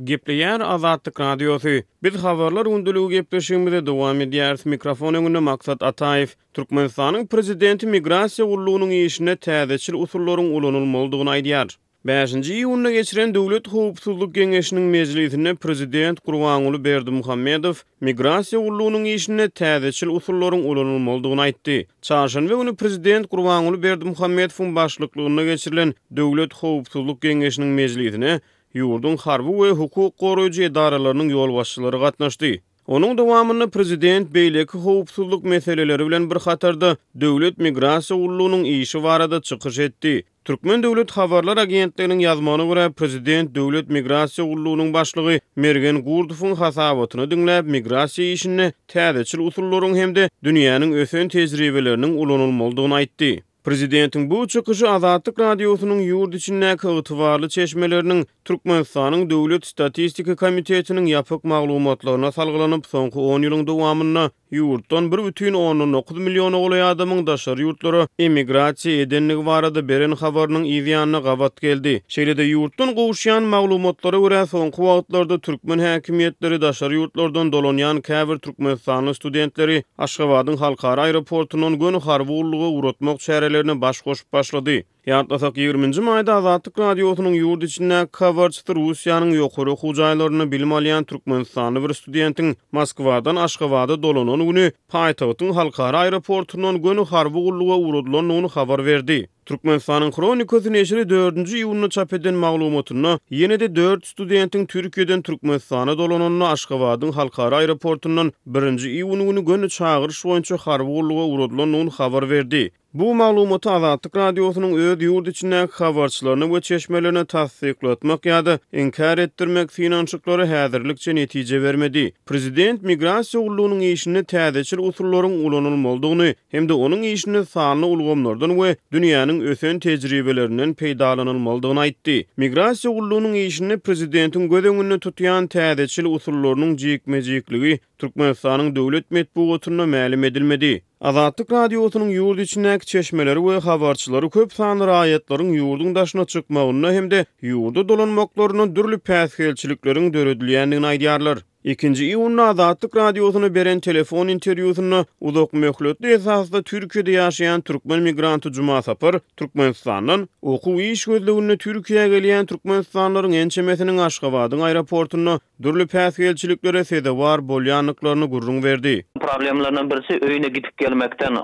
Gepleýär Azatlyk Radiosy. Biz Habarlar gündeligi gepleşigimizi dowam edýäris. Mikrofon öňünde Maksat Ataýew. Türkmenistanyň Prezidenti migrasiýa gullugynyň işinde täzeçil usullaryň ulanylmalydygyny aýdýar. Bäşinji iýunda geçiren Döwlet howpsuzlyk geňeşiniň mejlisinde prezident Gurbanguly Berdimuhamedow migrasiýa gullugynyň işinde täzeçil usullaryň ulanylmalydygyny aýtdy. Çarşenbe güni prezident Gurbanguly Berdimuhamedowyň başlyklygynda geçirilen Döwlet howpsuzlyk geňeşiniň mejlisine ýurduň harby we hukuk goraýjy edaralarynyň ýolbaşçylary gatnaşdy. Onuň dowamynda prezident beýleki howpsuzlyk meseleleri bilen bir hatarda Döwlet migrasiýa gullugynyň işi barada çykyş etdi. Türkmen döwlet habarlar agentliginiň ýazmagyna görä, prezident Döwlet migrasiýa gullugynyň başlygy Mergen Gurdowyň hasabatyny diňläp, migrasiýa işinde täzeçil usullaryň hem-de dünýäniň ösen tejribeleriniň ulanylmalydygyny aýtdy. Prezidentiň bu çykyşy Azatlyk Radiosynyň ýurt içindäki ygtybarly çeşmeleriniň Türkmenistanyň Döwlet statistika komitetiniň ýapyk maglumatlaryna salgylanyp, soňky on ýylyň dowamynda ýurtdan bir 1,9 milliona golaý adamyň daşary ýurtlara emigrasiýa edendigi barada beren habarynyň yz ýanyna gabat geldi. Şeýle-de, ýurtdan gowuşýan maglumatlara görä, soňky wagtlarda türkmen häkimiýetleri daşary ýurtlardan dolanýan käbir türkmenistanly studentleri Aşgabadyň halkara aeroportundan göni harby gulluga ugratmak çärelerine baş goşup başlady. Ýatlasak, ýigriminji maýda Azatlyk Radiosynyň ýurt içindäki habarçysy Russiýanyň ýokary okuw jaýlarynda bilim alýan türkmenistanly bir studentiň Moskwadan Aşgabada dolanan güni paýtagtyň halkara aeroportundan göni harby gulluga ugradylandygyny habar berdi. Türkmenistanyň Hronikasy neşiri dördünji iýunda çap eden maglumatynda, ýene-de dört studentiň Türkiýeden Türkmenistana dolananda Aşgabadyň halkara aeroportundan birinji iýun güni göni çagyryş boýunça harby gulluga ugradylandygyny habar berdi. Bu maglumaty Azatlyk Radiosynyň öz ýurt içindäki habarçylaryna we çeşmelerine tassyklatmak ýa-da inkär etdirmek synanyşyklary häzirlikçe netije bermedi. Prezident migrasiýa gullugynyň işinde täzeçil usullaryň ulanylmalydygyny hem-de onuň işinde sanly ulgamlardan we dünýäniň ösen tejribelerinden peýdalanylmalydygyny aýtdy. Migrasiýa gullugynyň işinde prezidentiň göz öňünde tutýan täzeçil usullarynyň jikme-jikligi Türkmenistanyň döwlet metbugatynda mälim edilmedi. Azatlyk Radiosynyň ýurt içindäki çeşmeleri we habarçylary köp sanly raýatlaryň ýurduň daşyna çykmagynda hem-de ýurda dolanmaklarynda dürli päsgelçilikleriň döredilýändigini aýdýarlar. Ikinji iýunda Azatlyk Radiosyna beren telefon interwýusynda uzak möhletli esasda Türkiýede ýaşaýan türkmen migranty Juma Sapar Türkmenistandan okuw-iş gözleginde Türkiýä gelýän türkmenistanlylaryň ençemesiniň Aşgabadyň aeroportunda dürli päsgelçiliklere sezewar bolýandyklaryny gürrüň berdi. Problemlerden birisi öýüne gidip gelmekden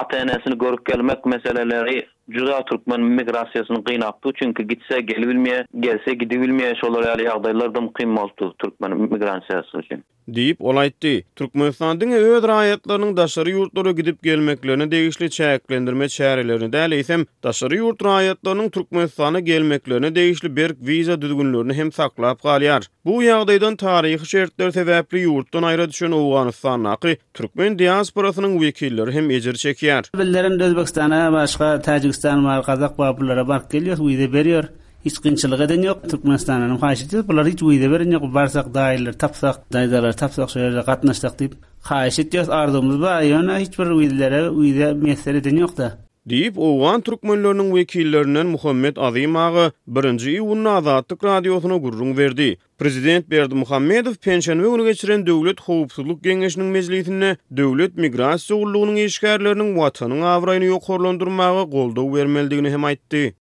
ata-enesini görüp gelmek meseleleri juda türkmen migrasiýasyny gynapdy, çünki gitse gelibilmeýär, gelse gidibilmeýär, şolar ýaly ýagdaýlar dym kyn bolupdy türkmen migrasiýasy üçin. Diýip, ol aýtdy. Türkmenistan diňe öz raýatlarynyň daşary ýurtlara gidip gelmeklerine degişli çäklendirme çärelerini däl, eýsem, daşary ýurt raýatlarynyň Türkmenistana gelmeklerine degişli berk wiza düzgünlerini hem saklap galýar. Bu ýagdaýdan taryhy şertler sebäpli ýurtdan aýra düşen Owganystandaky türkmen diasporasynyň wekilleri hem ejir çekýär. Bizler indi Özbegistana başga Täjigistan bar, Gazak bar bulara baryp gelýäs, wiza berýär. Hiç kynçylyk eden ýok. Türkmenistandanam haýyş edýäs, bular hiç wiza beren ýok. Barsak daýylary tapsak, daýzalary tapsak şo ýerde gatnaşsak diýip haýyş edýäs, arzuwymyz bar, ýöne hiç bir wizlere wiza miýesser eden ýok-da. Diýip, owgan türkmenleriniň wekillerinden Muhammet Azym aga birinji iýunda Azatlyk Radiosyna gürrüň berdi. Prezident Berdimuhamedow penşenbe güni geçiren Döwlet howpsuzlyk geňeşiniň mejlisinde Döwlet migrasiýa gullugynyň işgärleriniň Watanyň abraýyny ýokarlandyrmaga goldaw bermelidigini hem aýtdy.